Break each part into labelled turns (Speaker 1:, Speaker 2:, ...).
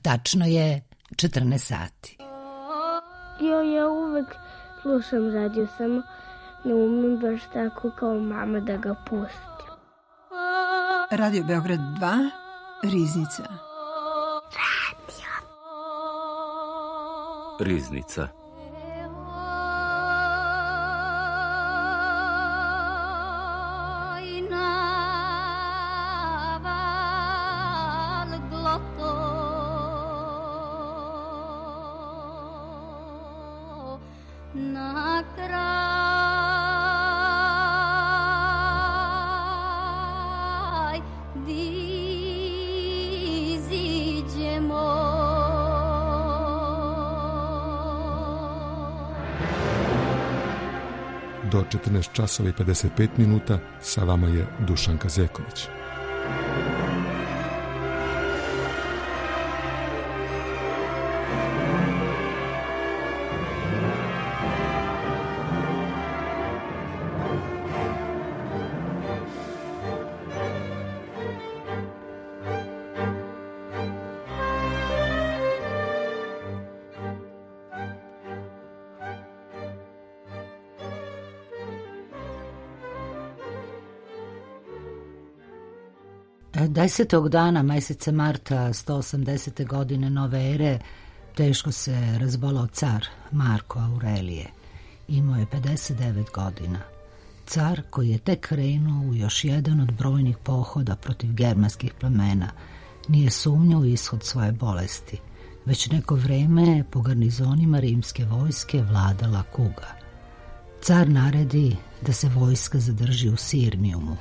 Speaker 1: Tačno je 14 sati.
Speaker 2: Ja uvek slušam radio, samo ne umem baš tako kao mama da ga pustim.
Speaker 3: Radio Beograd 2, Riznica.
Speaker 4: Riznica.
Speaker 5: Do 14 časova i 55 minuta sa vama je Dušan Kazeković.
Speaker 1: Desetog dana meseca marta 180. godine nove ere teško se razbolao car Marko Aurelije. Imao je 59 godina. Car koji je tek krenuo u još jedan od brojnih pohoda protiv germanskih plemena nije sumnjao u ishod svoje bolesti. Već neko vreme po garnizonima rimske vojske vladala kuga. Car naredi da se vojska zadrži u Sirmijumu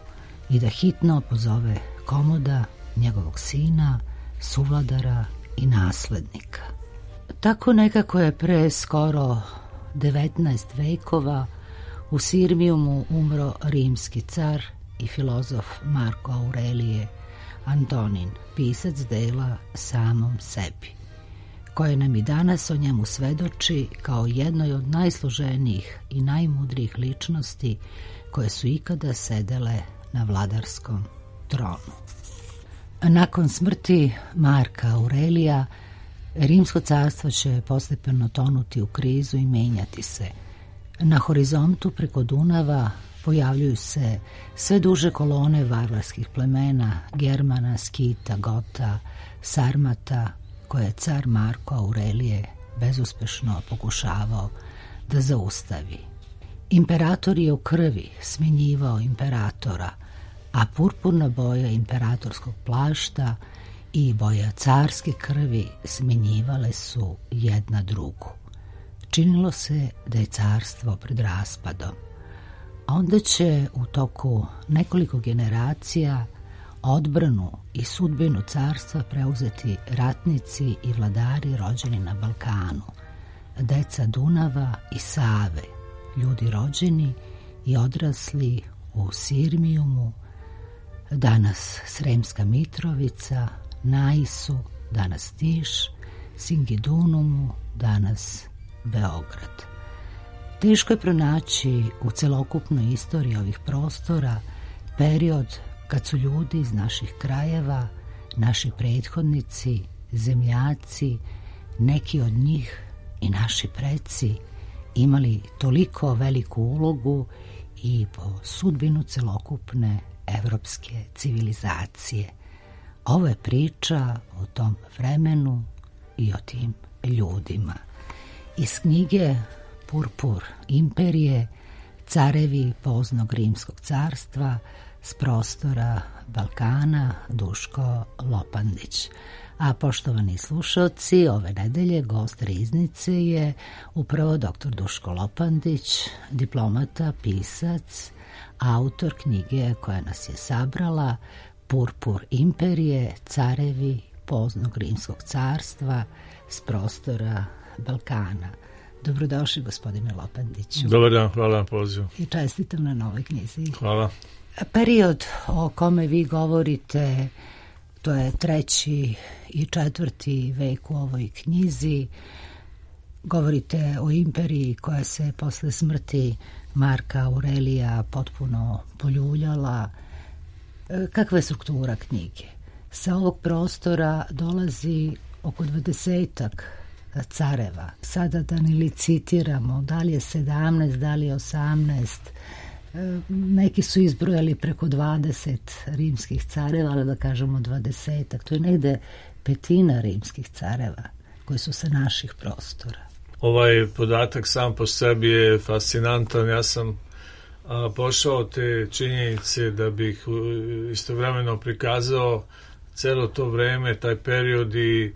Speaker 1: i da hitno pozove Komoda, njegovog sina, suvladara i naslednika. Tako nekako je pre skoro 19 vekova u Sirmijumu umro rimski car i filozof Marko Aurelije Antonin, pisac dela Samom sebi, koje nam i danas o njemu svedoči kao jednoj od najsloženijih i najmudrijih ličnosti koje su ikada sedele na vladarskom tronu. Nakon smrti Marka Aurelija, Rimsko carstvo će postepeno tonuti u krizu i menjati se. Na horizontu preko Dunava pojavljuju se sve duže kolone varvarskih plemena, Germana, Skita, Gota, Sarmata, koje je car Marko Aurelije bezuspešno pokušavao da zaustavi. Imperator je u krvi smenjivao imperatora, a purpurna boja imperatorskog plašta i boja carske krvi smenjivale su jedna drugu. Činilo se da je carstvo pred raspadom. Onda će u toku nekoliko generacija odbranu i sudbinu carstva preuzeti ratnici i vladari rođeni na Balkanu, deca Dunava i Save, ljudi rođeni i odrasli u Sirmijumu, danas Sremska Mitrovica, Naisu, danas Tiš, Singidunumu, danas Beograd. Teško je pronaći u celokupnoj istoriji ovih prostora period kad su ljudi iz naših krajeva, naši prethodnici, zemljaci, neki od njih i naši preci imali toliko veliku ulogu i po sudbinu celokupne evropske civilizacije. Ovo je priča o tom vremenu i o tim ljudima. Iz knjige Purpur imperije, carevi poznog rimskog carstva, s prostora Balkana, Duško Lopandić. A poštovani slušalci, ove nedelje gost Riznice je upravo dr. Duško Lopandić, diplomata, pisac, autor knjige koja nas je sabrala Purpur imperije, carevi poznog rimskog carstva s prostora Balkana. Dobrodošli, gospodine Lopandiću.
Speaker 6: Dobar dan, hvala na pozivu.
Speaker 1: I čestitam na novoj knjizi.
Speaker 6: Hvala.
Speaker 1: Period o kome vi govorite, to je 3. i 4. vek u ovoj knjizi. Govorite o imperiji koja se posle smrti Marka Aurelija potpuno poljuljala. Kakva je struktura knjige? Sa ovog prostora dolazi oko 20-ak careva. Sada da ne licitiramo, da li je 17, da li je 18, neki su izbrojali preko 20 rimskih careva, ali da kažemo 20-ak, to je negde petina rimskih careva koji su sa naših prostora.
Speaker 4: Ovaj podatak sam po sebi je fascinantan. Ja sam pošao te činjenice da bih istovremeno prikazao celo to vreme, taj period i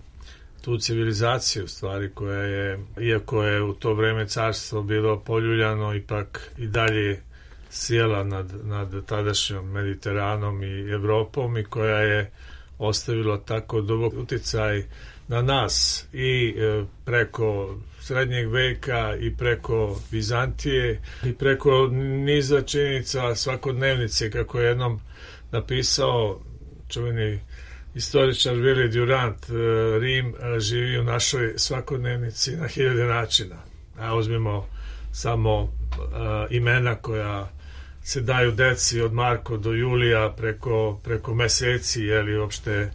Speaker 4: tu civilizaciju stvari koja je, iako je u to vreme carstvo bilo poljuljano, ipak i dalje sjela nad tadašnjom Mediteranom i Evropom i koja je ostavila tako dubok uticaj na nas i preko srednjeg veka i preko Vizantije i preko niza činjenica svakodnevnice, kako je jednom napisao čuveni istoričar Willi Durant, Rim živi u našoj svakodnevnici na 1000 načina. A uzmimo samo imena koja se daju deci od Marko do Julija preko meseci, jeli uopšte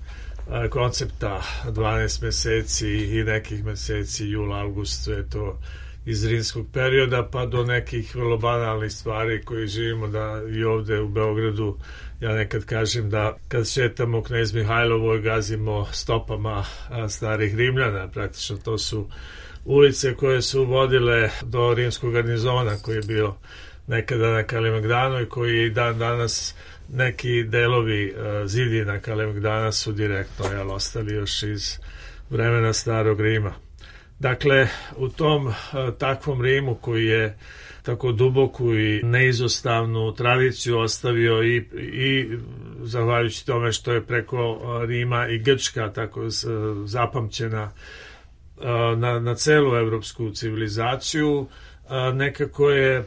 Speaker 4: koncepta 12 meseci i nekih meseci, jul, august, sve to iz rimskog perioda, pa do nekih vrlo banalnih stvari koji živimo da i ovde u Beogradu. Ja nekad kažem da kad šetamo u Knez Mihajlovoj gazimo stopama starih Rimljana, praktično to su ulice koje su vodile do rimskog garnizona koji je bio nekada na Kalemegdanu i koji i dan danas neki delovi zidina Kalemegdana su direktno ostali još iz vremena starog Rima. Dakle, u tom takvom Rimu koji je tako duboku i neizostavnu tradiciju ostavio i zahvaljujući tome što je preko Rima i Grčka tako zapamćena na celu evropsku civilizaciju, nekako je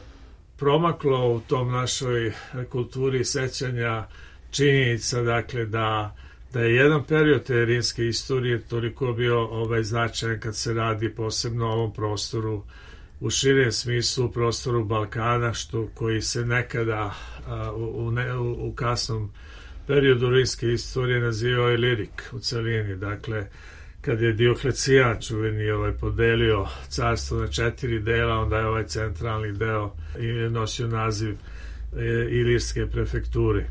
Speaker 4: promaklo u tom našoj kulturi sećanja činjenica, dakle, da je jedan period te rimske istorije toliko bio značajan kad se radi posebno o ovom prostoru u širem smislu, prostoru Balkana, koji se nekada u kasnom periodu rimske istorije nazivao Ilirik u celini. Dakle, kad je Dioklecijan čuveni podelio carstvo na 4 dela, onda je ovaj centralni deo nosio naziv Ilirske prefekture.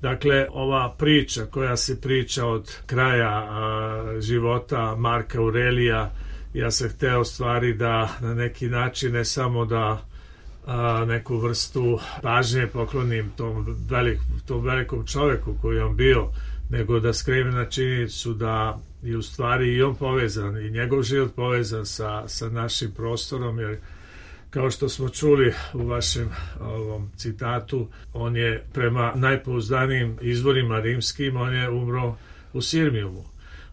Speaker 4: Dakle, ova priča koja se priča od kraja života Marka Aurelija, ja sam hteo stvari da na neki način ne samo da neku vrstu pažnje poklonim tom velikom čoveku koji je on bio, nego da skrenem na činjenicu da je u stvari i on povezan i njegov život povezan sa našim prostorom, jer kao što smo čuli u vašem ovom citatu, on je prema najpouzdanijim izvorima rimskim, on je umro u Sirmijumu.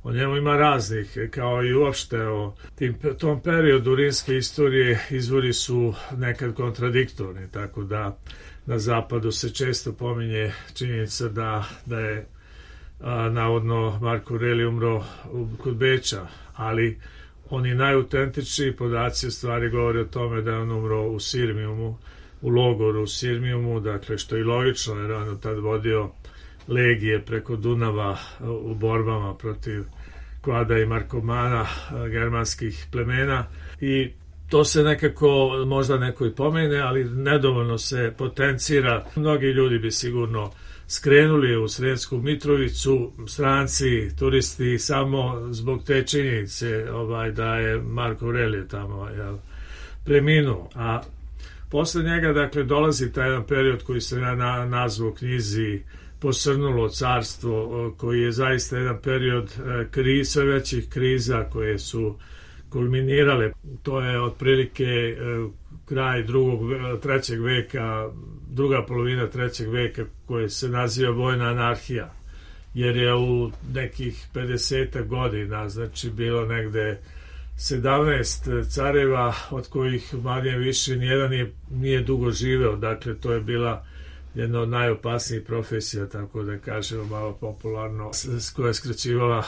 Speaker 4: O njemu ima raznih, kao i uopšte o tom periodu rimske istorije izvori su nekad kontradiktorni, tako da na zapadu se često pominje činjenica da je navodno Marko Aurelije umro kod Beča, ali oni najautentičniji podaci u stvari govore o tome da je on umro u Sirmijumu, u logoru u Sirmijumu, dakle što je logično jer on tad vodio legije preko Dunava u borbama protiv Kvada i Markomana, germanskih plemena, i to se nekako možda neko i pomene, ali nedovoljno se potencira. Mnogi ljudi bi sigurno skrenuli u Sremsku Mitrovicu, stranci, turisti, samo zbog te činjenice da je Marko Aurelije tamo preminuo. A posle njega, dakle, dolazi taj jedan period koji se nazvao u knjizi Posrnulo carstvo, koji je zaista jedan period sve većih kriza koje su kulminirale. To je otprilike kraj trećeg veka, druga polovina 3. veka, koje se naziva vojna anarhija, jer je u nekih 50 godina, znači bilo negde 17 careva, od kojih manje više nijedan nije dugo živeo, dakle to je bila jedna od najopasnijih profesija, tako da kažemo malo popularno, koja je skraćivala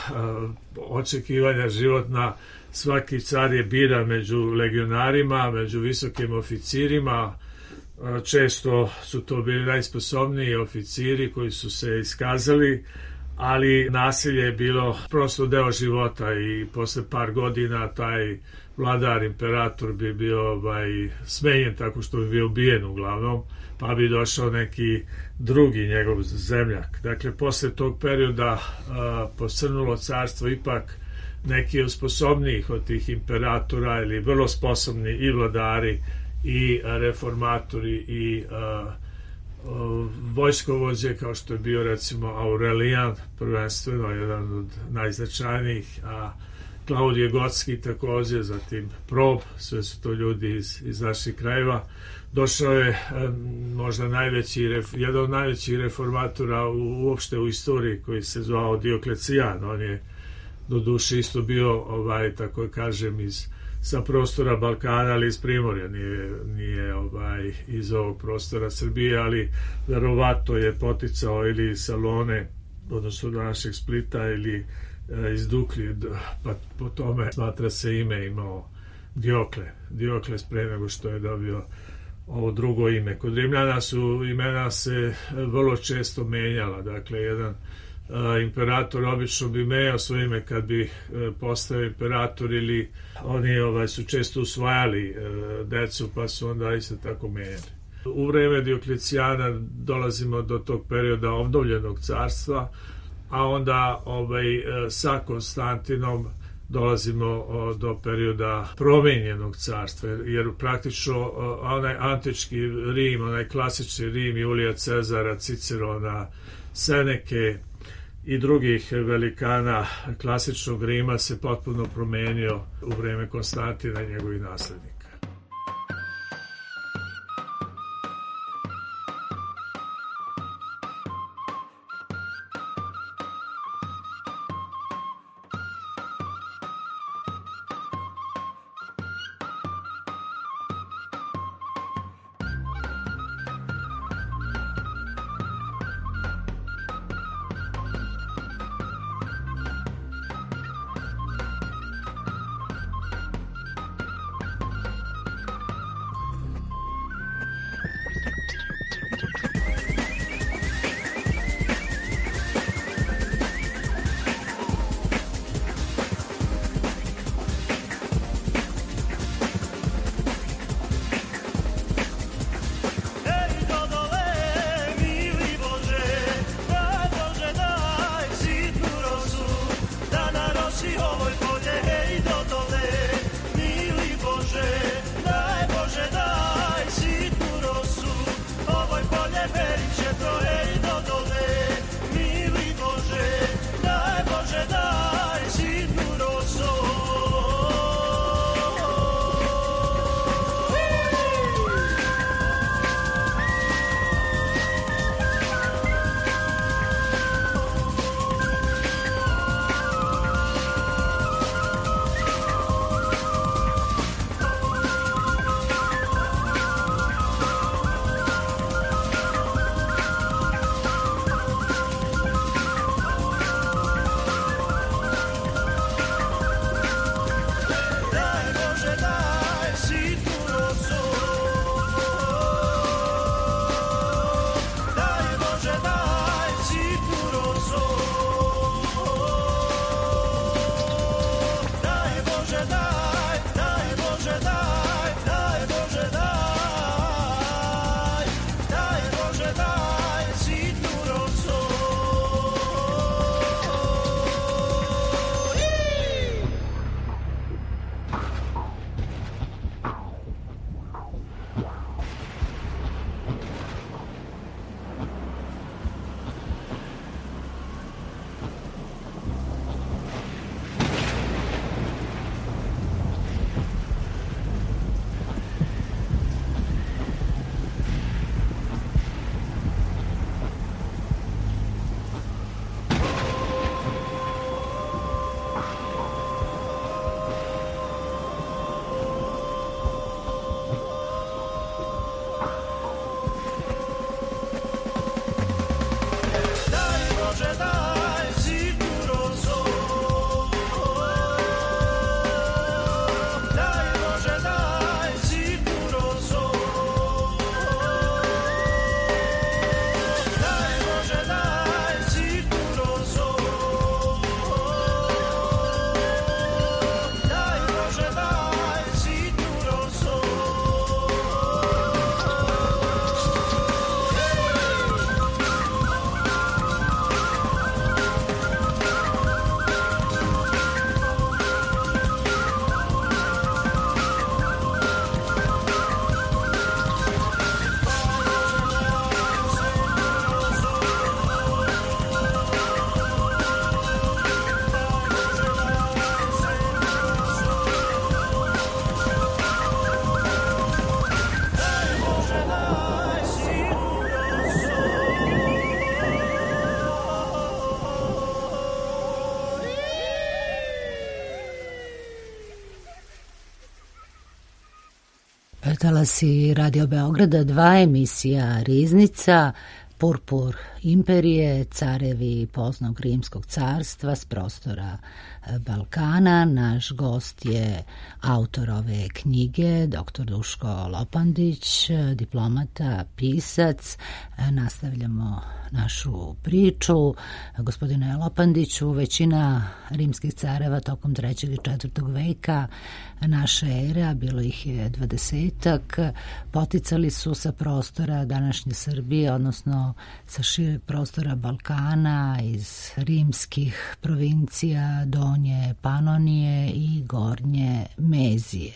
Speaker 4: očekivanja životna. Svaki car je biran među legionarima, među visokim oficirima, često su to bili najsposobniji oficiri koji su se iskazali, ali nasilje je bilo prosto deo života i posle par godina taj vladar, imperator bi bio smenjen tako što bi bio ubijen uglavnom, pa bi došao neki drugi njegov zemljak. Dakle, posle tog perioda posrnulo carstvo, ipak neki od sposobnijih od tih imperatora ili vrlo sposobni i vladari i reformatori i vojskovođe, kao što je bio recimo Aurelijan, prvenstveno jedan od najznačajnijih, a Klaudije Gotski takođe, zatim Prob, sve su to ljudi iz naših krajeva. Došao je možda jedan od najvećih reformatora uopšte u istoriji, koji se zvao Dioklecijan. On je do duše isto bio, tako kažem, sa prostora Balkana, ali iz Primorja, nije iz ovog prostora Srbije, ali verovatno je poticao ili Salone, odnosno do našeg Splita, ili iz Duklje, pa po tome smatra se ime imao Diokles pre nego što je dobio ovo drugo ime. Kod Rimljana su imena se vrlo često menjala, dakle jedan imperator obično bi menjao svoje ime kad bi postao imperator, ili oni su često usvajali decu, pa su onda isto tako menjali. U vreme Dioklecijana dolazimo do tog perioda obnovljenog carstva, a onda sa Konstantinom dolazimo do perioda promenjenog carstva, jer praktično onaj antički Rim, onaj klasični Rim Julija Cezara, Cicerona, Seneke i drugih velikana klasičnog Rima se potpuno promenio u vreme Konstantina i njegovih naslednika.
Speaker 1: Talasi Radio Beograda 2, emisija Riznica, Purpur imperije, carevi poznog rimskog carstva s prostora Balkana. Naš gost je autor ove knjige, dr. Duško Lopandić, diplomata, pisac. Nastavljamo našu priču. Gospodine Lopandiću, većina rimskih careva tokom 3. i 4. veka naše ere, a bilo ih je 20-ak, poticali su sa prostora današnje Srbije, odnosno sa šireg prostora Balkana, iz rimskih provincija Donje Panonije i Gornje Mezije.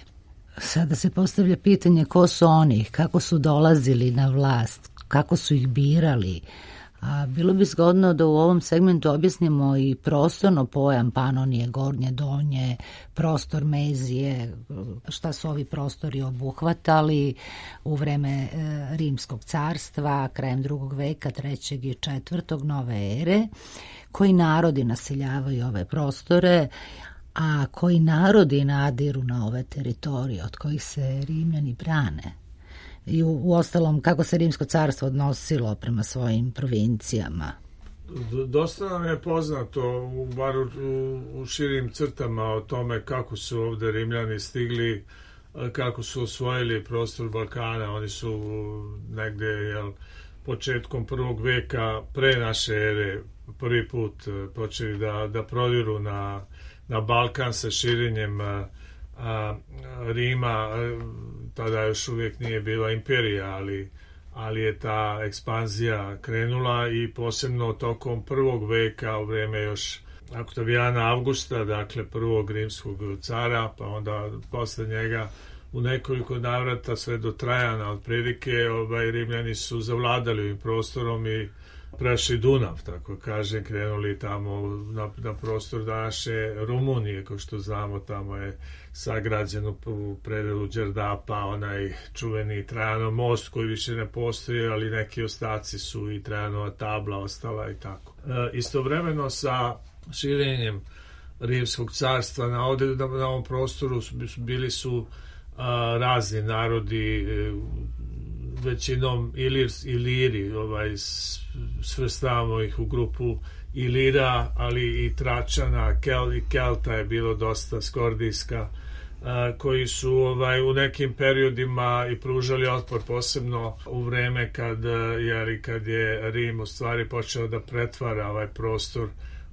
Speaker 1: Sada se postavlja pitanje ko su oni, kako su dolazili na vlast, kako su ih birali. A bilo bi zgodno da u ovom segmentu objasnimo i prostorno pojam Panonije, Gornje, Donje, prostor Mezije, šta su ovi prostori obuhvatali u vreme Rimskog carstva, krajem 2. veka, 3. i 4. nove ere, koji narodi naseljavaju ove prostore, a koji narodi nadiru na ove teritorije od kojih se Rimljani brane. I u ostalom, kako se Rimsko carstvo odnosilo prema svojim provincijama?
Speaker 4: Dosta nam je poznato, bar u širim crtama, o tome kako su ovde Rimljani stigli, kako su osvojili prostor Balkana. Oni su negde početkom 1. veka pre naše ere prvi put počeli da prodiru na Balkan sa širenjem Rima. Tada još uvijek nije bila imperija, ali je ta ekspanzija krenula i posebno tokom 1. veka u vreme još Oktavijana Avgusta, dakle prvog rimskog cara, pa onda posle njega u nekoliko navrata sve do Trajana otprilike Rimljani su zavladali ovim prostorom i prešli Dunav, tako kažem, krenuli tamo na prostor današnje Rumunije, kao što znamo, tamo je sagrađen u predelu Đerdapa onaj čuveni Trajanov most koji više ne postoji, ali neki ostaci su i Trajanova tabla ostala i tako. Istovremeno sa širenjem Rimskog carstva na ovom prostoru bili su razni narodi, većinom Iliri, svrstavamo ih u grupu Ilira, ali i Tračana, Kelta je bilo dosta, Skordijska, koji su u nekim periodima i pružali otpor, posebno u vreme kad je Rim u stvari počeo da pretvara ovaj prostor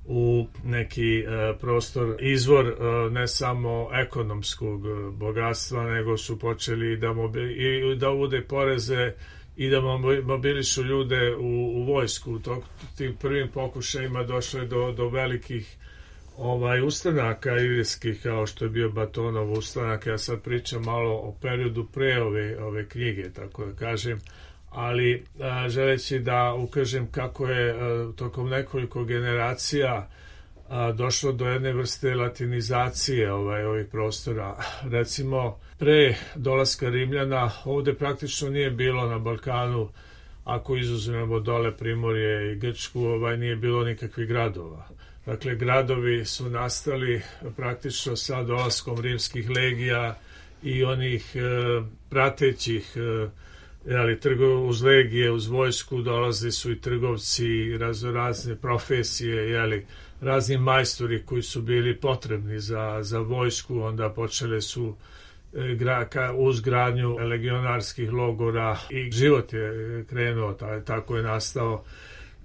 Speaker 4: u neki prostor, izvor ne samo ekonomskog bogatstva, nego su počeli da uvode poreze i da mobilišu ljude u vojsku. Tim prvim pokušajima došlo je do velikih ustanaka ilirskih, kao što je bio Batonov ustanak. Ja sad pričam malo o periodu pre ove knjige, tako da kažem, ali želeći da ukažem kako je tokom nekoliko generacija došlo do jedne vrste latinizacije ovih prostora. Recimo, pre dolaska Rimljana ovde praktično nije bilo na Balkanu, ako izuzmemo dole Primorje i Grčku, nije bilo nikakvih gradova. Dakle, gradovi su nastali praktično sa dolaskom rimskih legija i onih pratećih, uz legije, uz vojsku dolazili su i trgovci, razne profesije, razni majstori koji su bili potrebni za vojsku, onda počele su uz gradnju legionarskih logora i život je krenuo, tako je nastao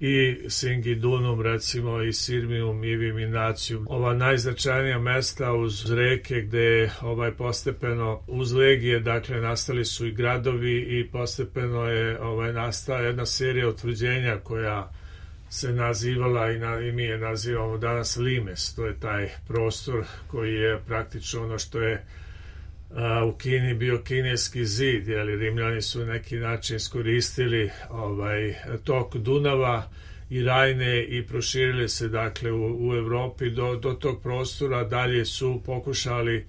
Speaker 4: i Singidunum, recimo, i Sirmium, i Viminacium. Ova najznačajnija mesta uz reke gde postepeno uz legije, dakle, nastali su i gradovi i postepeno je nastala jedna serija utvrđenja koja se nazivala i mi je nazivamo danas Limes. To je taj prostor koji je praktično ono što je u Kini bio kineski zid, Rimljani su na neki način iskoristili tok Dunava i Rajne i proširili se, dakle, u Evropi do tog prostora. Dalje su pokušali,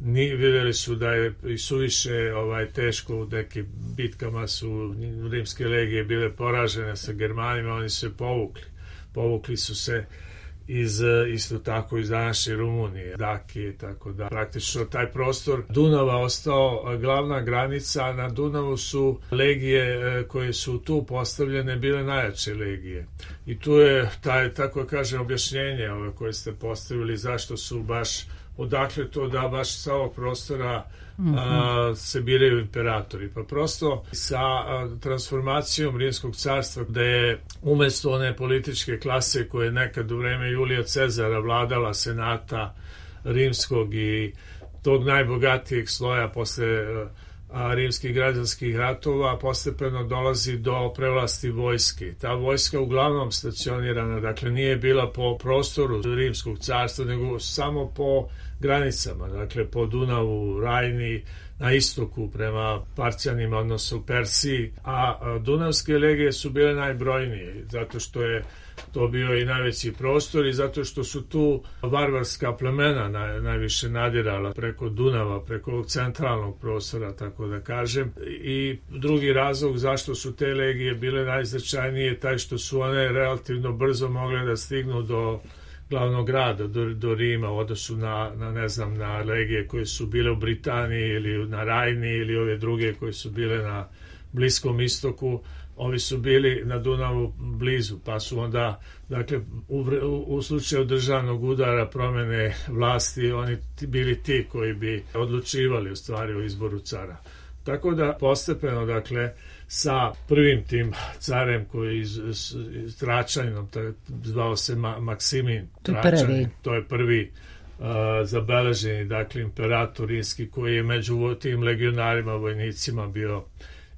Speaker 4: videli su da je i suviše teško, u nekim bitkama su rimske legije bile poražene sa Germanima, oni su se povukli su se isto tako iz današnje Rumunije, Dakije, tako da praktično taj prostor Dunava ostao glavna granica. Na Dunavu su legije koje su tu postavljene bile najjače legije. I tu je tako kažem, objašnjenje koje ste postavili zašto su baš, odakle to da baš sa ovog prostora se biraju imperatori. Pa prosto sa transformacijom Rimskog carstva, gde je umesto one političke klase koje je nekad u vreme Julija Cezara vladala senata rimskog i tog najbogatijeg sloja posle rimskih građanskih ratova, postepeno dolazi do prevlasti vojske. Ta vojska uglavnom stacionirana, dakle nije bila po prostoru Rimskog carstva, nego samo po granicama, dakle po Dunavu, Rajni, na istoku prema Parćanima, odnosno Persiji, a Dunavske legije su bile najbrojnije, zato što je to bio i najveći prostor i zato što su tu varvarska plemena najviše nadirala preko Dunava, preko ovog centralnog prostora, tako da kažem. I drugi razlog zašto su te legije bile najznačajnije taj što su one relativno brzo mogle da stignu do glavnog grada, do Rima, u odnosu na legije koje su bile u Britaniji ili na Rajni ili ove druge koje su bile na Bliskom istoku. Ovi su bili na Dunavu blizu, pa su onda, dakle, u slučaju državnog udara, promene vlasti, oni bili ti koji bi odlučivali u stvari o izboru cara. Tako da postepeno, dakle, sa prvim tim carem koji je Tračaninom, zvao se Maksimin Tračanin, to je prvi zabeleženi, dakle, imperator rimski koji je među tim legionarima, vojnicima bio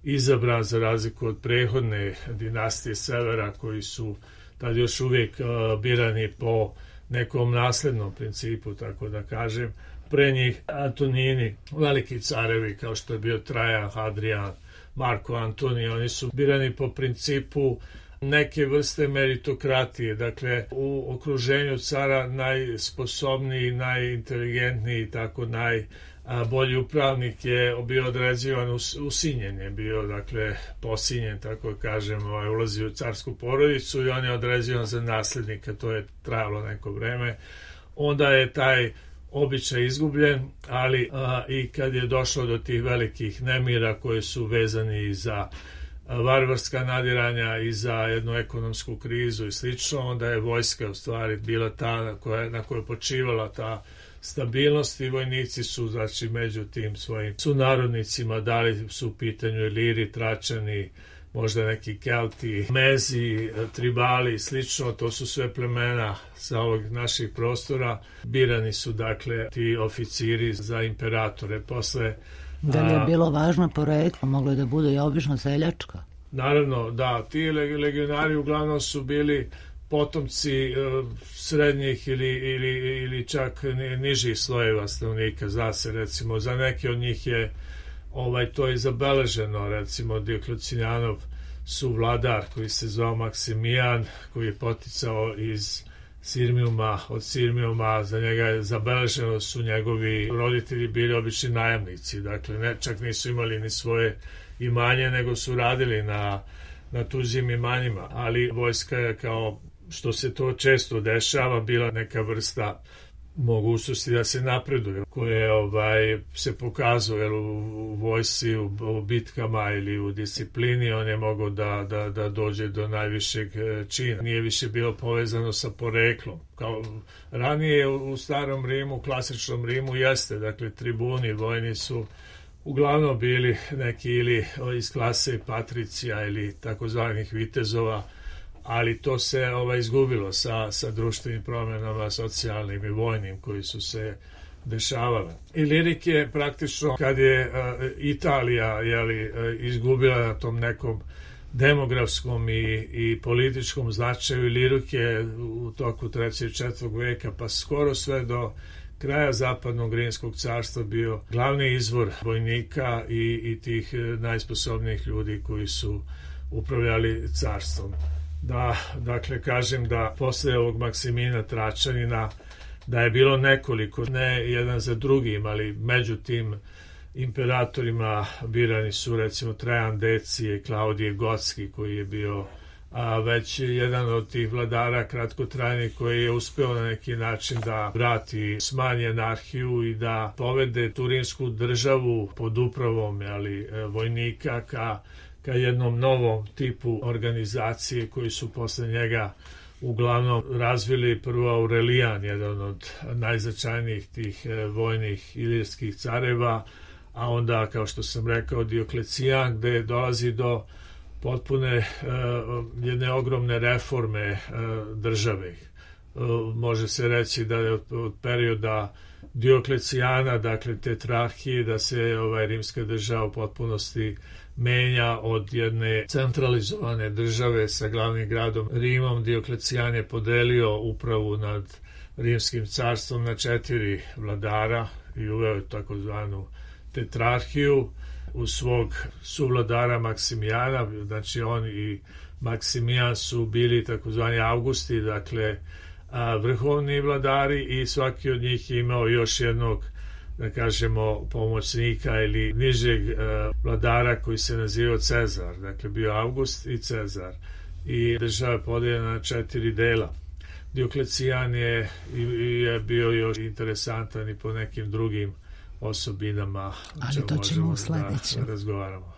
Speaker 4: izabran za razliku od prethodne dinastije Severa koji su tad još uvijek birani po nekom naslednom principu, tako da kažem. Pre njih Antonini, veliki carevi kao što je bio Trajan, Hadrian, Marko Antonij, oni su birani po principu neke vrste meritokratije, dakle u okruženju cara najsposobniji, najinteligentniji, tako najbolji upravnik je bio određivan usinjen, je bio, dakle, posinjen, tako kažem, ulazi u carsku porodicu i on je određivan za naslednika, to je trajalo neko vreme. Onda je taj običaj izgubljen, ali i kad je došlo do tih velikih nemira koji su vezani i za varvarska nadiranja i za jednu ekonomsku krizu i slično, onda je vojska u stvari bila ta na kojoj je počivala ta stabilnost i vojnici su, znači, među tim svojim sunarodnicima, da li su u pitanju Iliri, Tračani, možda neki Kelti, Mezi, Tribali i slično, to su sve plemena sa ovog naših prostora. Birani su, dakle, ti oficiri za imperatore. Posle,
Speaker 1: da li je bilo važno poreklo? Moglo je da bude i obično seljačka?
Speaker 4: Naravno, da. Ti legionari uglavnom su bili potomci srednjih ili čak nižih slojeva stanovnika. Zna se, recimo, za neke od njih je to je zabeleženo, recimo Dioklecijanov suvladar koji se zvao Maksimijan, koji je poticao iz Sirmijuma, od Sirmijuma, za njega je zabeleženo su njegovi roditelji bili obični najamnici, dakle čak nisu imali ni svoje imanje, nego su radili na tuđim imanjima, ali vojska je, kao što se to često dešava, bila neka vrsta mogućnosti da se napreduje, koje se pokazuje u vojsci, u bitkama ili u disciplini, on je mogao da dođe do najvišeg čina. Nije više bilo povezano sa poreklom. Kao ranije u starom Rimu, klasičnom Rimu jeste, dakle tribuni vojni su uglavnom bili neki ili iz klase patricija ili takozvanih vitezova, ali to se izgubilo sa društvenim promjenama, socijalnim i vojnim koji su se dešavale. Ilirik je praktično, kad je Italija izgubila na tom nekom demografskom i političkom značaju, Ilirik je u toku 3. i 4. veka pa skoro sve do kraja zapadnog Rimskog carstva bio glavni izvor vojnika i tih najsposobnijih ljudi koji su upravljali carstvom. Da, dakle, kažem da posle ovog Maksimina Tračanina da je bilo nekoliko, ne jedan za drugim, ali među tim imperatorima birani su recimo Trajan Decije, Klaudije Gotski koji je bio a već jedan od tih vladara kratkotrajnih koji je uspeo na neki način da vrati, smanji anarhiju i da povede tu rimsku državu pod upravom vojnika ka jednom novom tipu organizacije koji su posle njega uglavnom razvili prvo Aurelijan, jedan od najznačajnijih tih vojnih ilirskih careva, a onda, kao što sam rekao, Dioklecijan, gde dolazi do potpune jedne ogromne reforme države. Može se reći da je od perioda Dioklecijana, dakle tetrarhije, da se rimska država u potpunosti menja od jedne centralizovane države sa glavnim gradom Rimom. Dioklecijan je podelio upravu nad rimskim carstvom na 4 vladara i uveo je takozvanu tetrarhiju u svog suvladara Maksimijana. Znači on i Maksimijan su bili takozvani Augusti, dakle vrhovni vladari, i svaki od njih je imao još jednog, da kažemo, pomoćnika ili nižeg vladara koji se nazivao Cezar. Dakle, bio August i Cezar. I država je podeljena na 4 dela. Dioklecijan je bio još interesantan i po nekim drugim osobinama,
Speaker 1: ali to ćemo u sledećem
Speaker 4: da razgovaramo.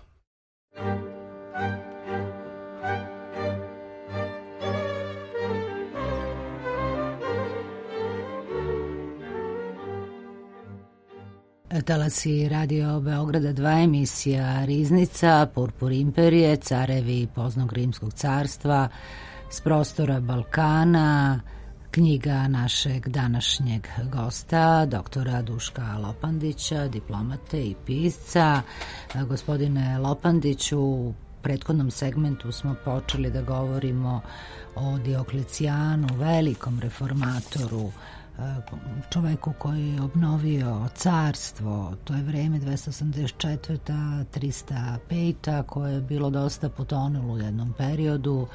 Speaker 1: Talasi Radio Beograda 2, emisija Riznica, Purpur imperije, carevi poznog rimskog carstva s prostora Balkana, knjiga našeg današnjeg gosta, doktora Duška Lopandića, diplomate i pisca. Gospodine Lopandiću, u prethodnom segmentu smo počeli da govorimo o Dioklecijanu, velikom reformatoru, čoveku koji je obnovio carstvo. To je vreme 284. 305. koje je bilo dosta potonulo u jednom periodu.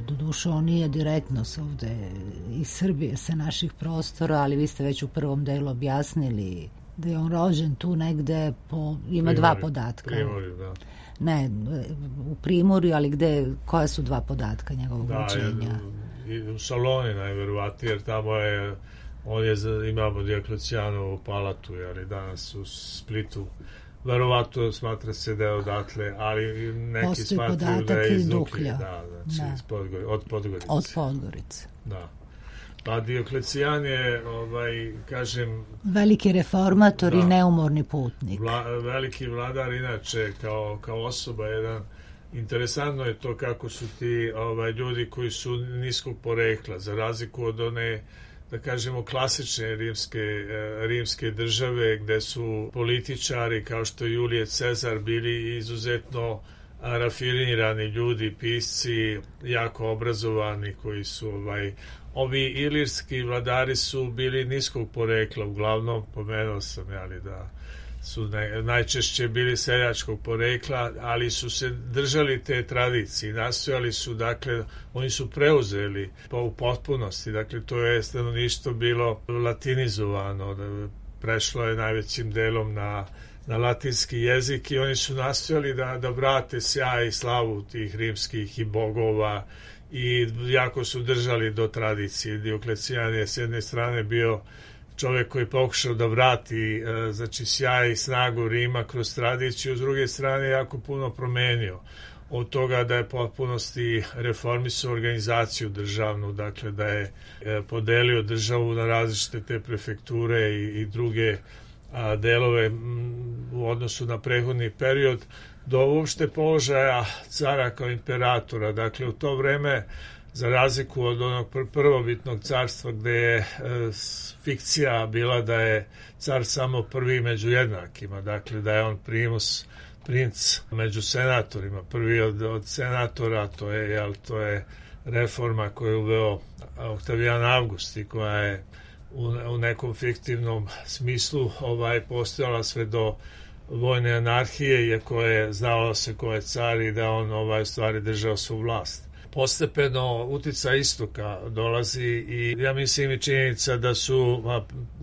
Speaker 1: Doduše, on nije direktno ovde iz Srbije, sa naših prostora, ali vi ste već u prvom delu objasnili da je on rođen tu negde ima dva podatka.
Speaker 4: Primorju, da.
Speaker 1: Ne, u Primorju, ali koja su dva podatka njegovog rođenja?
Speaker 4: U Saloni najverovatnije, jer tamo imamo Dioklecijanovu palatu, ali danas u Splitu. Verovatno smatra se da je odatle, ali neki
Speaker 1: postoji
Speaker 4: smatraju da je iz Duklje. Od Podgorice.
Speaker 1: Od Podgorice.
Speaker 4: Da. Pa Dioklecijan je, kažem...
Speaker 1: veliki reformator i neumorni putnik.
Speaker 4: Veliki vladar, inače, kao osoba jedan. Interesantno je to kako su ti ljudi koji su niskog porekla, za razliku od one, da kažemo, klasične rimske države, gde su političari kao što je Julije Cezar bili izuzetno rafinirani ljudi, pisci, jako obrazovani, koji su ovi ilirski vladari su bili niskog porekla, uglavnom pomenuo sam da su najčešće bili seljačkog porekla, ali su se držali te tradicije, nastojali su, dakle, oni su preuzeli u potpunosti, dakle, to je stanovništvo bilo latinizovano, prešlo je najvećim delom na latinski jezik i oni su nastojali da vrate sjaj i slavu tih rimskih i bogova i jako su držali do tradicije. Dioklecijan je s jedne strane bio čovjek koji je pokušao da vrati sjaj i snagu Rima kroz tradiciju, s druge strane jako puno promenio. Od toga da je potpunosti reformisao organizaciju državnu, dakle da je podelio državu na različite te prefekture i druge delove u odnosu na prethodni period, do uopšte položaja cara kao imperatora. Dakle, u to vreme, za razliku od onog prvobitnog carstva gde je fikcija bila da je car samo prvi među jednakima, dakle da je on princ među senatorima, prvi od senatora, to je reforma koju je uveo Oktavijan Avgust i koja je u nekom fiktivnom smislu postojala sve do vojne anarhije, iako je znalo se ko je car i da on stvari držao svu vlast. Postepeno uticaj istoka dolazi i ja mislim i činjenica da su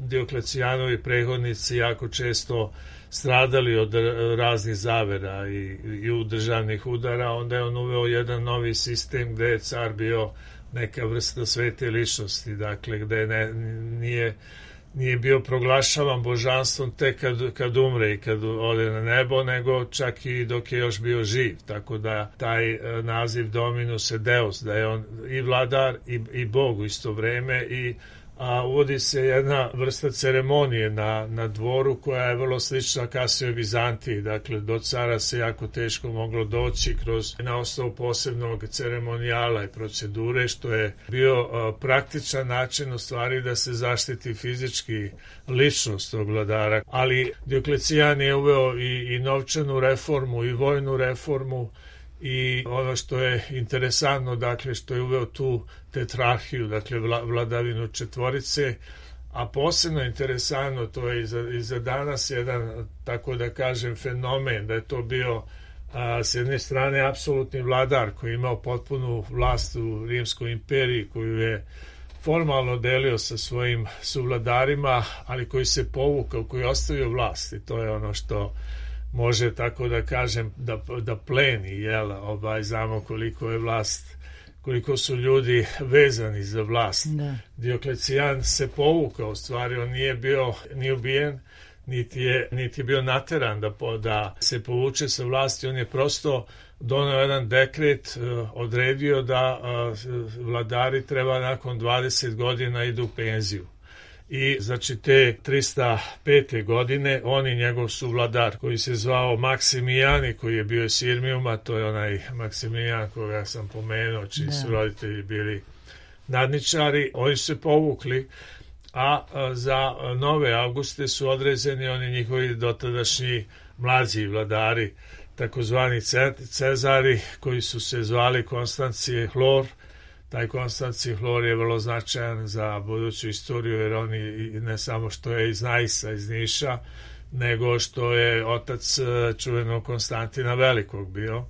Speaker 4: Dioklecijanovi prethodnici jako često stradali od raznih zavera i državnih udara, onda je on uveo jedan novi sistem gde je car bio neka vrsta svete ličnosti, dakle gde nije bio proglašavan božanstvom tek kad umre i kad ode na nebo, nego čak i dok je još bio živ, tako da taj naziv Dominus et Deus, da je on i vladar i bog u isto vreme, a uvodi se jedna vrsta ceremonije na dvoru koja je vrlo slična kasnije Vizantiji, dakle do cara se jako teško moglo doći na osnovu posebnog ceremonijala i procedure, što je bio praktičan način u stvari da se zaštiti fizički ličnost tog vladara, ali Dioklecijan je uveo i novčanu reformu i vojnu reformu. I ono što je interesantno, dakle, što je uveo tu tetrarhiju, dakle, vladavinu četvorice, a posebno interesantno, to je i za danas jedan, tako da kažem, fenomen, da je to bio s jedne strane apsolutni vladar koji je imao potpunu vlast u Rimskoj imperiji, koju je formalno delio sa svojim suvladarima, ali koji se povukao, koji je ostavio vlast, i to je ono što može, tako da kažem, da pleni, znamo koliko je vlast, koliko su ljudi vezani za vlast. Da. Dioklecijan se povukao, u stvari on nije bio ni ubijen, niti je bio nateran da se povuče sa vlasti, on je prosto doneo jedan dekret, odredio da vladari treba nakon 20 godina idu u penziju. I znači te 305. godine on i njegov suvladar koji se zvao Maksimijani, koji je bio iz Sirmijuma, to je onaj Maksimijan koga sam pomenuo, čiji su roditelji bili nadničari, oni su se povukli, a za nove Auguste su određeni oni njihovi dotadašnji mlađi vladari, takozvani Cezari, koji su se zvali Konstancije Hlor. Taj Konstancije Hlor je vrlo značajan za buduću istoriju, jer on ne samo što je iz Najsa, iz Niša, nego što je otac čuvenog Konstantina Velikog bio.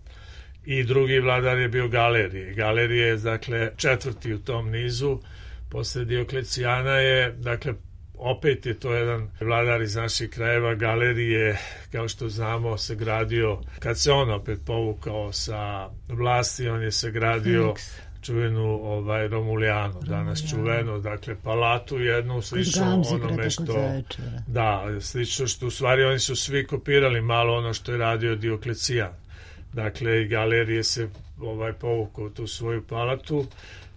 Speaker 4: I drugi vladar je bio Galerije. Galerije je, dakle, četvrti u tom nizu. Posle Dioklecijana je, dakle, opet je to jedan vladar iz naših krajeva. Galerije, kao što znamo, se gradio, kad se on opet povukao sa vlasti, on je se gradio čuvenu Romulijanu, danas čuvenu, dakle palatu jednu, slično onome što slično što u stvari oni su svi kopirali malo ono što je radio Dioklecijan. Dakle, i Galerije se povukao tu svoju palatu,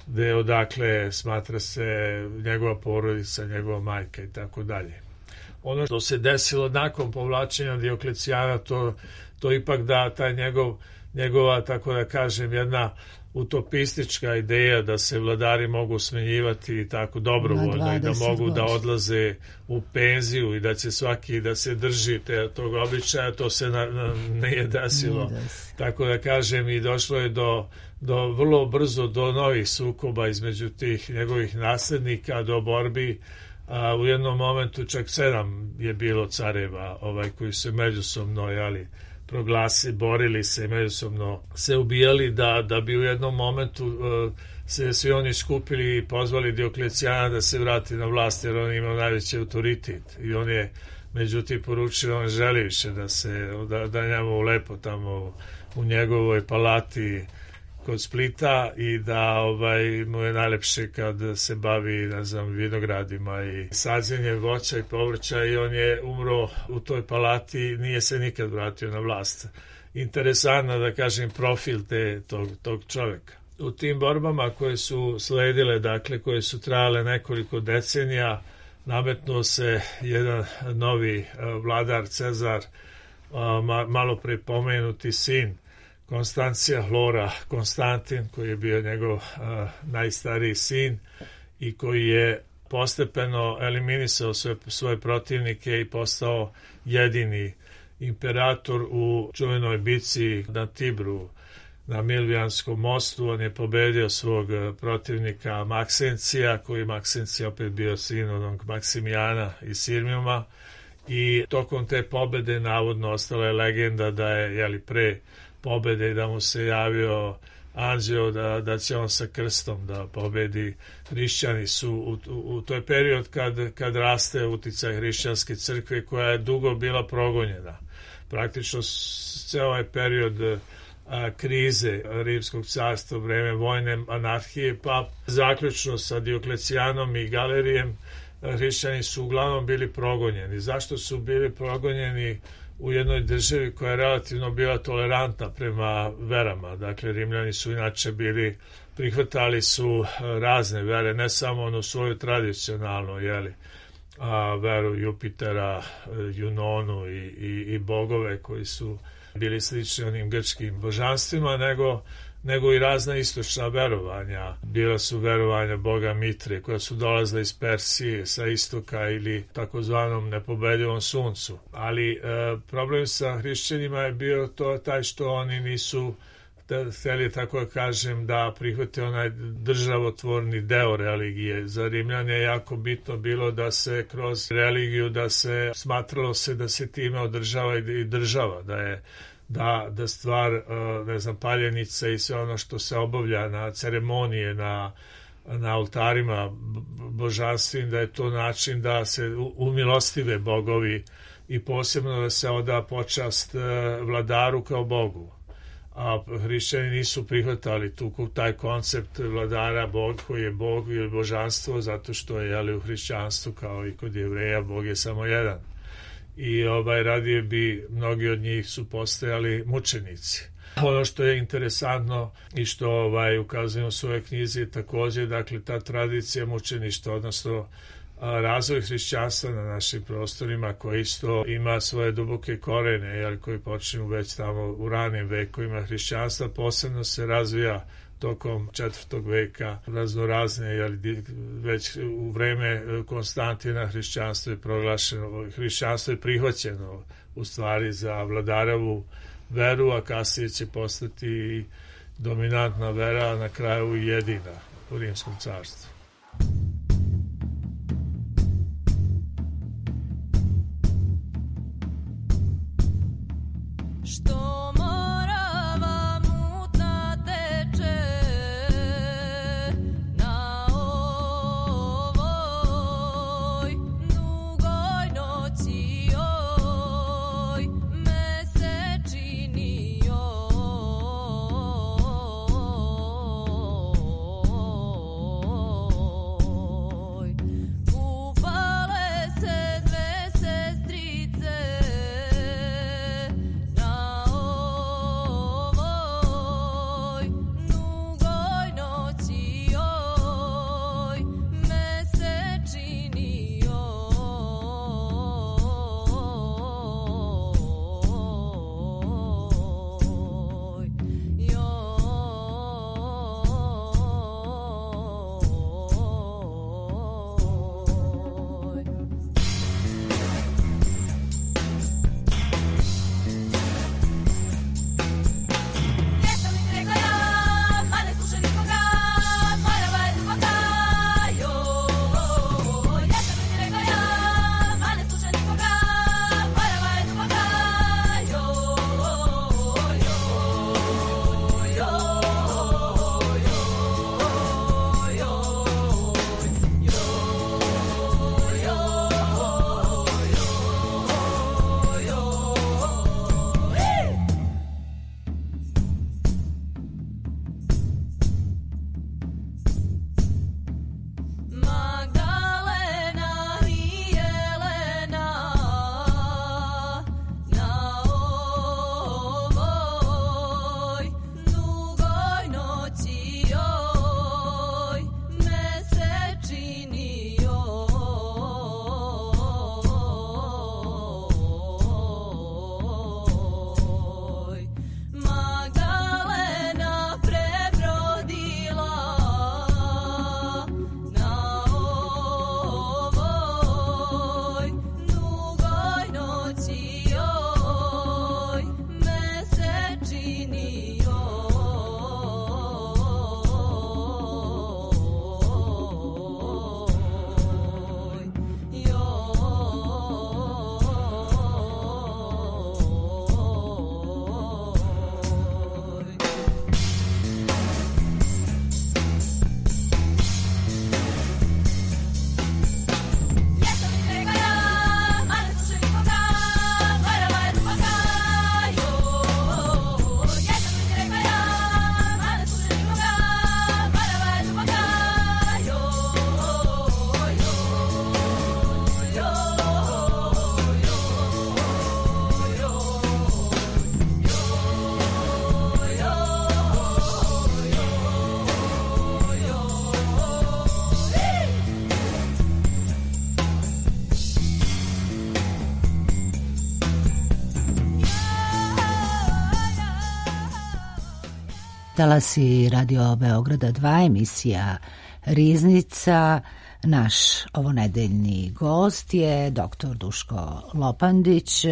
Speaker 4: gde odakle smatra se njegova porodica, njegova majka i tako dalje. Ono što se desilo nakon povlačenja Dioklecijana, to ipak da taj njegova, tako da kažem, jedna utopistička ideja da se vladari mogu smenjivati tako dobrovoljno i da mogu da odlaze u penziju i da će svaki da se drži tog običaja, to se nije desilo. Tako da kažem, i došlo je do vrlo brzo do novih sukoba između tih njegovih naslednika, do borbi. U jednom momentu čak 7 je bilo careva koji su međusobno borili se, međusobno se ubijali, da bi u jednom momentu se svi oni skupili i pozvali Dioklecijana da se vrati na vlast, jer on imao najveći autoritet i on je međutim poručio, on želi više da njemu lepo tamo u njegovoj palati kod Splita i da mu je najlepše kad se bavi, vinogradima i sađenjem voća i povrća, i on je umro u toj palati, nije se nikad vratio na vlast. Interesantno da kažem profil tog čovjeka. U tim borbama koje su sledile, dakle koje su trajale nekoliko decenija, nametnuo se jedan novi vladar, Cezar, malo pre pomenuti sin Konstancija Hlora, Konstantin, koji je bio njegov najstariji sin i koji je postepeno eliminisao svoje protivnike i postao jedini imperator u čuvenoj bici na Tibru, na Milvijanskom mostu. On je pobedio svog protivnika Maksencija, koji Maksencija opet bio sin onog Maksimijana iz Sirmijuma, i tokom te pobede navodno ostala je legenda da je pre pobede da mu se javio anđeo, da će on sa krstom da pobedi. Hrišćani su u toj period kad raste uticaj hrišćanske crkve koja je dugo bila progonjena. Praktično ceo ovaj period krize Rimskog carstva, vreme vojne anarhije, pa zaključno sa Dioklecijanom i Galerijem, hrišćani su uglavnom bili progonjeni. Zašto su bili progonjeni u jednoj državi koja je relativno bila tolerantna prema verama? Dakle, Rimljani su inače prihvatali su razne vere, ne samo onu svoju tradicionalnu, veru Jupitera, Junonu i bogove koji su bili slični onim grčkim božanstvima, nego i razna istočna verovanja. Bila su verovanja boga Mitre koja su dolazile iz Persije sa istoka ili takozvanom nepobedivom suncu. Ali problem sa hrišćanima je bio taj što oni nisu hteli, tako da kažem, da prihvate onaj državotvorni deo religije. Za Rimljane je jako bitno bilo da se kroz religiju, smatralo se da se time održava i država, da stvar, paljenica i sve ono što se obavlja na ceremonije, na oltarima božanstvim, da je to način da se umilostive bogovi i posebno da se oda počast vladaru kao bogu. A hrišćani nisu prihvatali taj koncept vladara, bog koji je bog ili božanstvo, zato što je u hrišćanstvu kao i kod Jevreja bog je samo jedan. I radije bi mnogi od njih su postajali mučenici. Ono što je interesantno i što ukazujemo u svojoj knjizi je također, dakle, ta tradicija mučeništva, odnosno razvoj hrišćanstva na našim prostorima koji isto ima svoje duboke korene, koji počinju već tamo u ranim vekovima hrišćanstva, posebno se razvija tokom 4. veka raznorazne, već u vreme Konstantina hrišćanstvo je proglašeno, hrišćanstvo je prihvaćeno u stvari za vladarevu veru, a kasnije će postati dominantna vera, a na kraju i jedina u Rimskom carstvu.
Speaker 1: Talasi Radio Beograda 2, emisija Riznica. Naš ovonedeljni gost je dr. Duško Lopandić,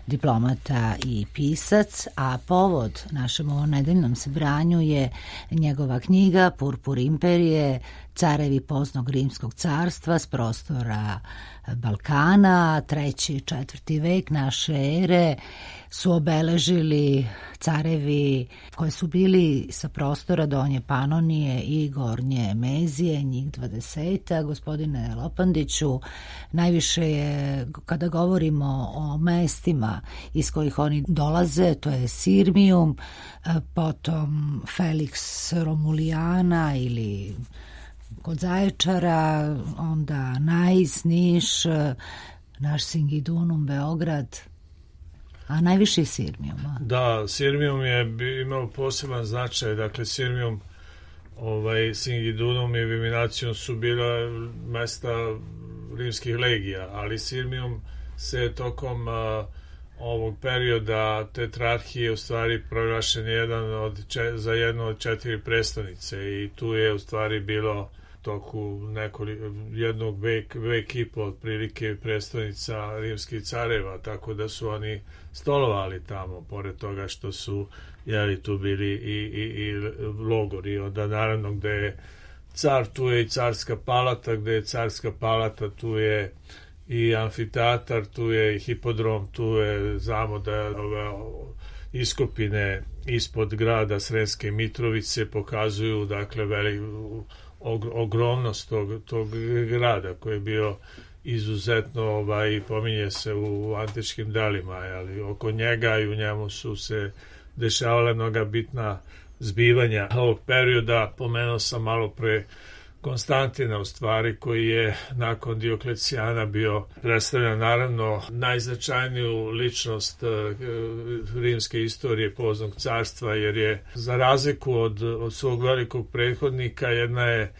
Speaker 1: diplomata i pisac, a povod našem ovonedeljnom sabranju je njegova knjiga Purpur imperije, carevi poznog rimskog carstva s prostora Balkana, 3. i 4. vek naše ere su obeležili carevi koji su bili sa prostora Donje Panonije i Gornje Mezije, njih 20. Gospodine Lopandiću, najviše je, kada govorimo o mestima iz kojih oni dolaze, to je Sirmium, potom Felix Romulijana ili kod Zaječara, onda Nais, Niš, naš Singidunum, Beograd, a najviše Sirmijuma.
Speaker 4: Da, Sirmijum je imao poseban značaj, dakle Sirmijum, Singidunum i Viminacijum su bila mesta rimskih legija, ali Sirmijum se tokom ovog perioda tetrarhije u stvari proglašen za jednu od 4 prestonice i tu je u stvari bilo toku jednog vek i po otprilike prestonica rimskih careva, tako da su oni stolovali tamo, pored toga što su tu bili i logori. Onda naravno gde je car, tu je i carska palata, gde je carska palata, tu je i amfiteatar, tu je i hipodrom, tu je, znamo da ove iskopine ispod grada Sremske Mitrovice pokazuju dakle ogromnost tog grada koji je bio izuzetno pominje se u antičkim delima, ali oko njega i u njemu su se dešavala mnoga bitna zbivanja ovog perioda. Pomenuo sam malo pre Konstantina, u stvari, koji je nakon Dioklecijana bio predstavljan naravno najznačajniju ličnost rimske istorije poznog carstva, jer je za razliku od svog velikog prethodnika jedna je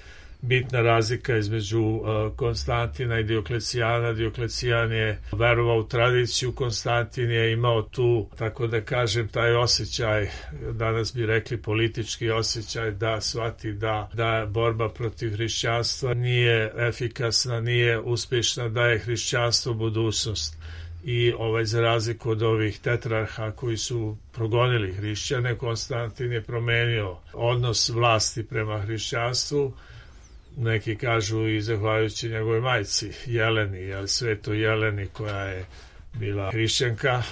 Speaker 4: bitna razlika između Konstantina i Dioklecijana. Dioklecijan je verovao u tradiciju, Konstantin je imao tu, tako da kažem, taj osjećaj, danas bi rekli politički osjećaj, da shvati da borba protiv hrišćanstva nije efikasna, nije uspješna, da je hrišćanstvo budućnost. I za razliku od ovih tetrarha koji su progonili hrišćane, Konstantin je promenio odnos vlasti prema hrišćanstvu. Neki kažu i zahvaljujući njegove majci Jeleni, sveto Jeleni, koja je bila hrišćanka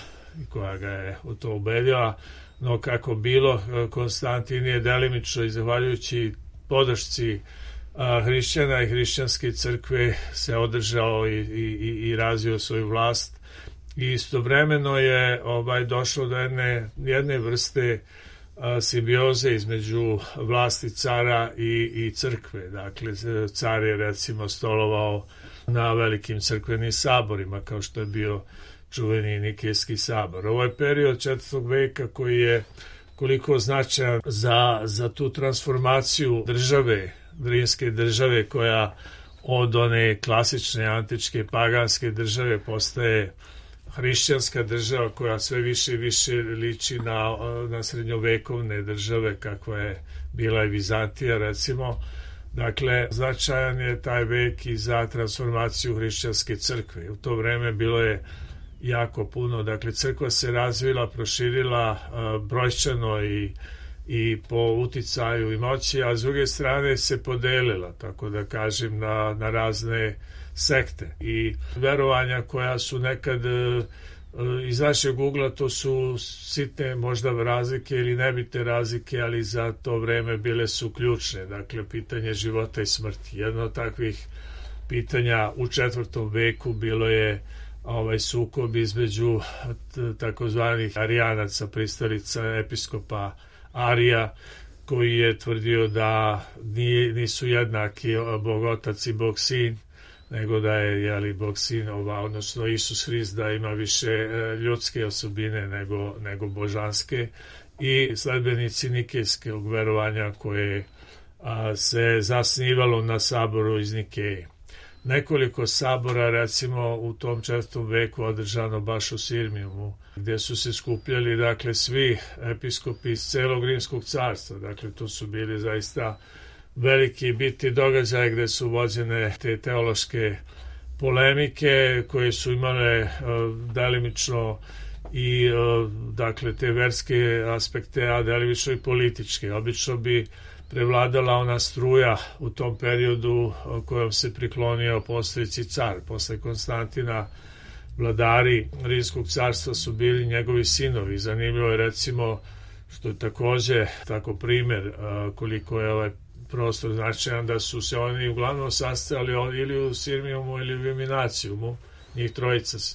Speaker 4: i koja ga je u to ubedila. No kako bilo, Konstantin je delimično i zahvaljujući podršci hrišćana i hrišćanske crkve se održao i razvio svoju vlast. I istovremeno je došlo do jedne vrste simbioze između vlasti cara i crkve. Dakle, car je recimo stolovao na velikim crkvenim saborima, kao što je bio čuveni Nikejski sabor. Ovo je period 4. veka koji je koliko značajan za tu transformaciju države, rimske države, koja od one klasične antičke paganske države postaje hrišćanska država koja sve više i više liči na srednjovekovne države kakva je bila i Vizantija recimo. Dakle, značajan je taj vek i za transformaciju hrišćanske crkve. U to vreme bilo je jako puno, dakle crkva se razvila, proširila brojčano i po uticaju i moći, a s druge strane se podelila, tako da kažem, na razne sekte i verovanja koja su nekad iz našeg ugla, to su sitne možda razlike ili nebitne razlike, ali za to vreme bile su ključne. Dakle, pitanje života i smrti. Jedno od takvih pitanja u 4. veku bilo je sukob između takozvanih arijanaca, pristalica episkopa Arija, koji je tvrdio da nisu jednaki Bog Otac i Bog Sin, nego da je Bog Sin, odnosno Isus Hrist, da ima više ljudske osobine nego božanske, i sledbenici nikejskog verovanja koje se zasnivalo na saboru iz Nikeje. nekoliko sabora, recimo u tom 4. veku održano baš u Sirmijumu, gdje su se skupljali, dakle, svi episkopi iz celog Rimskog carstva. Dakle, to su bili zaista veliki bitni događaje gdje su vođene te teološke polemike koje su imale delimično i dakle te verske aspekte, a delimično i političke. Obično bi prevladala ona struja u tom periodu kojom se priklonio postojeći car. Posle Konstantina vladari Rimskog carstva su bili njegovi sinovi. Zanimljivo je, recimo, što je takođe tako primer koliko je ovaj prostor značajan, da su se oni uglavnom sastajali ili u Sirmijumu ili u Viminacijumu. Njih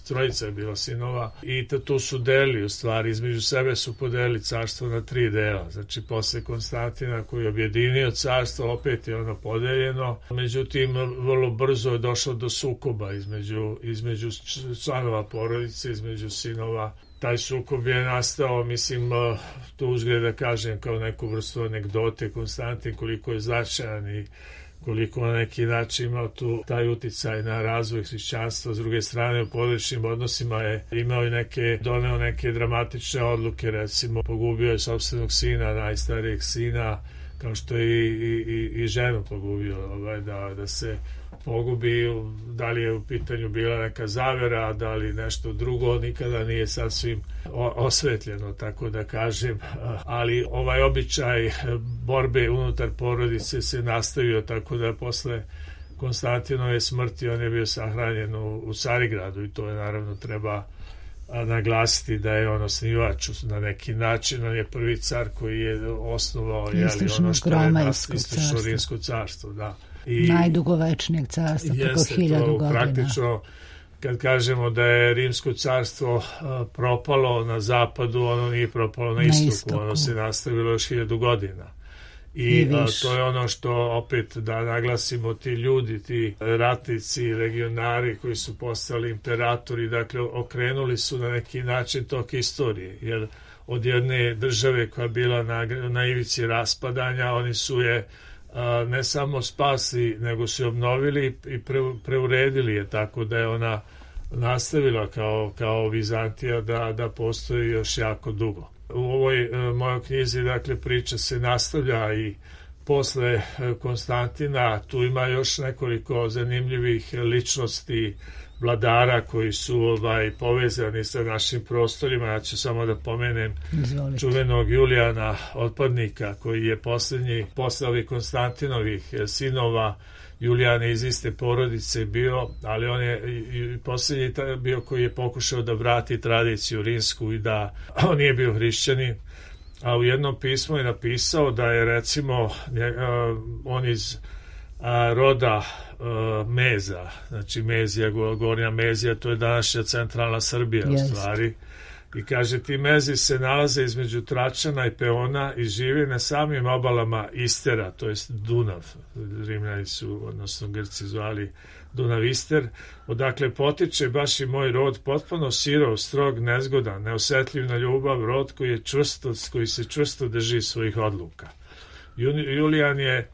Speaker 4: trojica je bila sinova i tu su delili, u stvari, između sebe su podelili carstvo na 3 dela. Znači, posle Konstantina koji je objedinio carstvo, opet je ono podeljeno. Međutim, vrlo brzo je došlo do sukoba između članova porodice, između sinova. Taj sukob je nastao, mislim, to uzgled da kažem kao neku vrstu anegdote, Konstantin koliko je značajan i koliko na neki način imao tu taj uticaj na razvoj hrišćanstva. S druge strane, u porodičnim odnosima je doneo neke dramatične odluke, recimo pogubio je sopstvenog sina, najstarijeg sina, kao što je i ženu pogubio, da se pogubi, da li je u pitanju bila neka zavera, da li nešto drugo, nikada nije sasvim osvetljeno, tako da kažem, ali ovaj običaj borbe unutar porodice se nastavio, tako da posle Konstantinove smrti on je bio sahranjen u Carigradu i to je naravno treba naglasiti da je on osnivač na neki način, on je prvi car koji je osnovao ono što je istočno Rimsko carstvo, da. I
Speaker 1: najdugovečnijeg carstva, preko 1000 godina.
Speaker 4: Praktično, kad kažemo da je Rimsko carstvo propalo na zapadu, ono nije propalo na istoku, ono se nastavilo još 1000 godina. I to je ono što, opet da naglasimo, ti ljudi, ti ratnici, legionari koji su postali imperatori, dakle okrenuli su na neki način tok istorije, jer od jedne države koja je bila na ivici raspadanja, oni su je ne samo spasli, nego su obnovili i preuredili je, tako da je ona nastavila kao Vizantija da postoji još jako dugo. U ovoj mojoj knjizi, dakle, priča se nastavlja i posle Konstantina. Tu ima još nekoliko zanimljivih ličnosti, vladara koji su povezani sa našim prostorima. Ja ću samo da pomenem čuvenog Julijana Otpadnika, koji je poslednji posle ovih Konstantinovih sinova. Julijan je iz iste porodice bio, ali on je i poslednji bio koji je pokušao da vrati tradiciju rimsku i da on nije bio hrišćanin. A u jednom pismu je napisao da je, recimo, on iz roda Meza, znači Mezija, Gornja Mezija, to je današnja centralna Srbija u stvari. I kaže, ti Mezi se nalaze između Tračana i Peona i žive na samim obalama Istera, to jest Dunav. Rimljani su, odnosno Grci, zvali Dunav Ister, odakle potiče baš i moj rod, potpuno sirov, strog, nezgodan, neosetljiv na ljubav, rod koji se čvrsto drži svojih odluka. Julijan je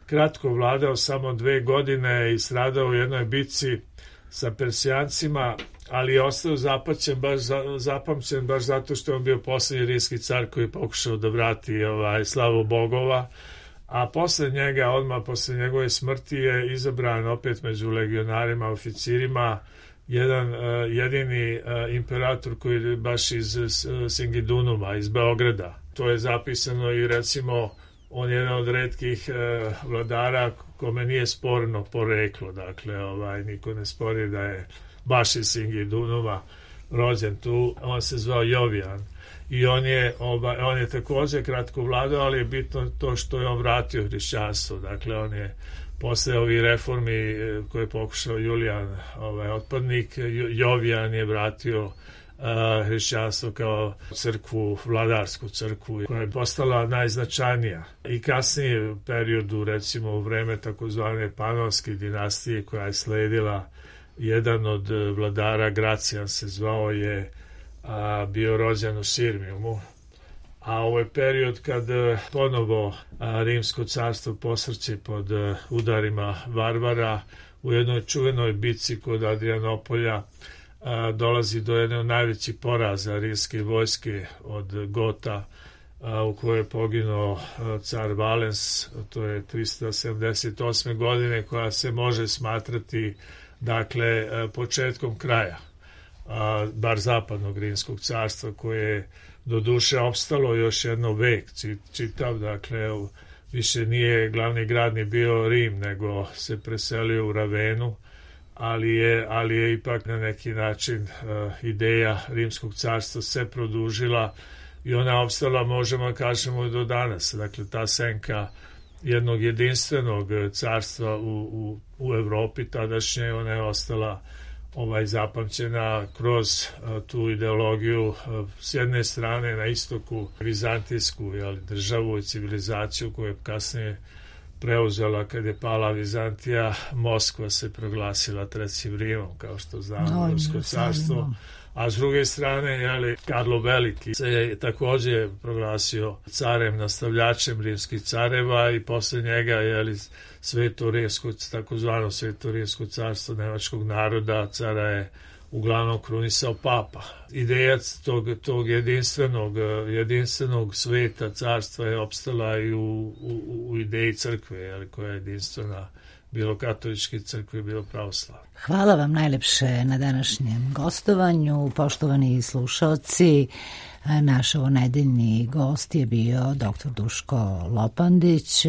Speaker 4: kratko vladao, samo 2 godine i stradao u jednoj bitci sa Persijancima, ali je ostao zapamćen baš zato što je on bio poslednji rimski car koji je pokušao da vrati slavu bogova, a posle njega, odmah posle njegove smrti, je izabran opet među legionarima, oficirima, jedan jedini imperator koji je baš iz Singidunuma, iz Beograda. To je zapisano i, recimo, on je jedan od retkih vladara kome nije sporno poreklo, dakle, niko ne spori da je baš iz Singidunuma rođen tu. On se zvao Jovijan i on je takođe kratko vladao, ali je bitno to što je on vratio hrišćanstvo. Dakle, on je posle ovih reformi koje je pokušao Julijan Otpadnik, Jovijan je vratio hrišćanstvo kao crkvu, vladarsku crkvu, koja je postala najznačajnija. I kasnije u periodu, recimo u vreme takozvane Panonske dinastije koja je sledila, jedan od vladara, Gracijan se zvao, je bio rođen u Sirmijumu, a ovo je period kad ponovo Rimsko carstvo posrće pod udarima varvara. U jednoj čuvenoj bici kod Adrianopolja dolazi do jedne od najvećih poraza rimske vojske od Gota, u kojoj je poginuo car Valens, to je 378. godine, koja se može smatrati dakle početkom kraja bar zapadnog rimskog carstva, koje je do duše opstalo još jedno vek čitav, dakle više nije glavni grad ni bio Rim, nego se preselio u Ravenu, ali je ipak na neki način ideja Rimskog carstva se produžila i ona je opstala, možemo kažemo, do danas. Dakle, ta senka jednog jedinstvenog carstva u Evropi tadašnje, ona je ostala zapamćena kroz tu ideologiju s jedne strane na istoku vizantijsku državu i civilizaciju koju je kasnije preuzela kad je pala Vizantija. Moskva se proglasila trećim Rimom, kao što znamo, Rimsko carstvo. A s druge strane, Karlo Veliki se je također proglasio carem, nastavljačem rimskih careva i posle njega takozvano Sveto rimsko carstvo nemačkog naroda, cara je uglavnom krunisao papa. Ideja tog jedinstvenog sveta carstva je opstala i u ideji crkve, koja je jedinstvena, bilo katoličke crkve, bilo pravoslavne.
Speaker 1: Hvala vam najlepše na današnjem gostovanju, poštovani slušaoci. Naš ovonedeljni gost je bio dr. Duško Lopandić,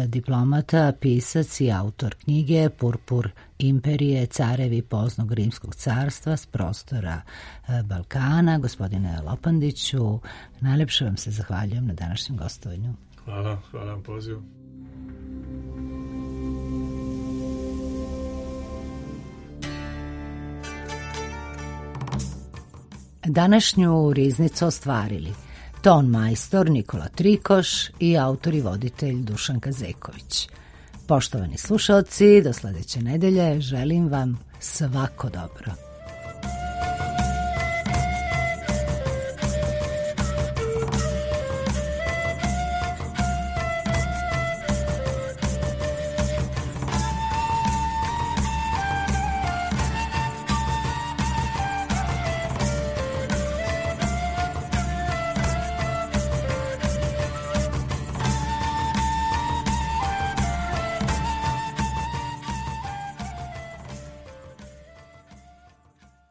Speaker 1: diplomata, pisac i autor knjige Purpur imperije, carevi poznog rimskog carstva s prostora Balkana. Gospodine Lopandiću, najlepše vam se zahvaljujem na današnjem gostovanju.
Speaker 4: Hvala vam pozivu.
Speaker 1: Današnju riznicu ostvarili ton majstor Nikola Trikoš i autor i voditelj Dušan Kazeković. Poštovani slušalci, do sledeće nedelje želim vam svako dobro.